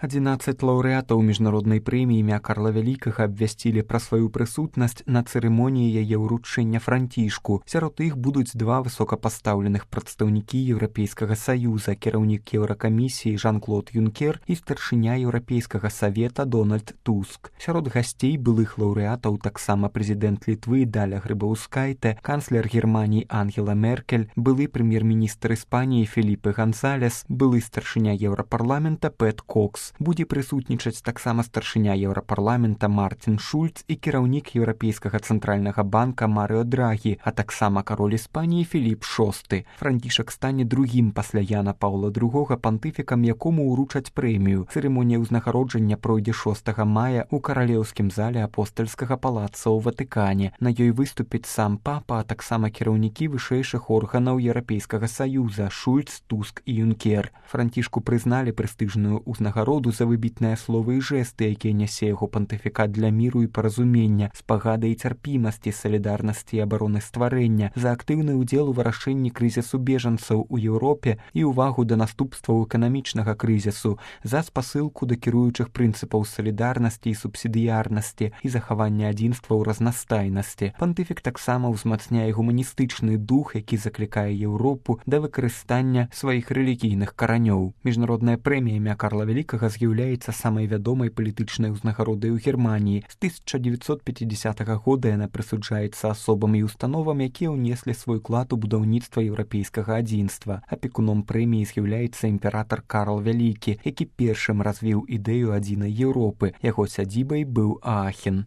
11 лаўрэатаў міжнароднай прэміі імя Карла Вялікага абвясцілі пра сваю прысутнасць на цырымоніі яе ўручэння Францішку. Сярод іх будуць два высокапастаўленых прадстаўнікі Еўрапейскага саюза, кіраўнік Еўракамісіі Жан-Клод Юнкер і старшыня Еўрапейскага савета Дональд Туск. Сярод гасцей былых лаўрэатаў таксама прэзідэнт Літвы Даля Грыбаўскайте, канцлер Германіі Ангела Меркель, былы прэм'ер-міністр Іспаніі Феліпе Гансалес, былы старшыня Еўрапарламента Пэт Кокс. Будзе прысутнічаць таксама старшыня Еўрапарламента Мартин Шульц і кіраўнік Еўрапейскага цэнтральнага банка Марыо Драгі, а таксама кароль Іспаніі Філіп VI. Францішак стане другім пасля Яна Паўла II пантыфікам, якому ўручаць прэмію. Цырымонія ўзнагароджання пройдзе 6 мая ў каралеўскім зале апостальскага палаца ў Ватыкане. На ёй выступіць сам папа, а таксама кіраўнікі вышэйшых органаў Еўрапейскага саюза Шульц, Туск і Юнкер. Францішку прызналі прэстыжную ўзнагароду за выбітныя словы і жэсты, якія нясе яго пантыфікат для міру і паразумення, спагады і цярпімасці, салідарнасці і абароны стварэння, за актыўны ўдзел у вырашэнні крызісу бежанцаў у Еўропе і ўвагу да наступстваў эканамічнага крызісу, за спасылку да кіруючых прынцыпаў салідарнасці і субсідыярнасці і захавання адзінства ў разнастайнасці. Пантыфік таксама ўзмацняе гуманістычны дух, які заклікае Еўропу да выкарыстання сваіх рэлігійных каранёў. Міжнародная прэмія імя Карла Вялікага з'яўляецца самай вядомай палітычнай узнагародай у Германіі. З 1950 года яна прысуджаецца асобам і установам, якія ўнеслі свой клад у будаўніцтва еўрапейскага адзінства. Апекуном прэміі з'яўляецца імператар Карл Вялікі, які першым развіў ідэю адзінай Еўропы. Яго сядзібай быў Аахен.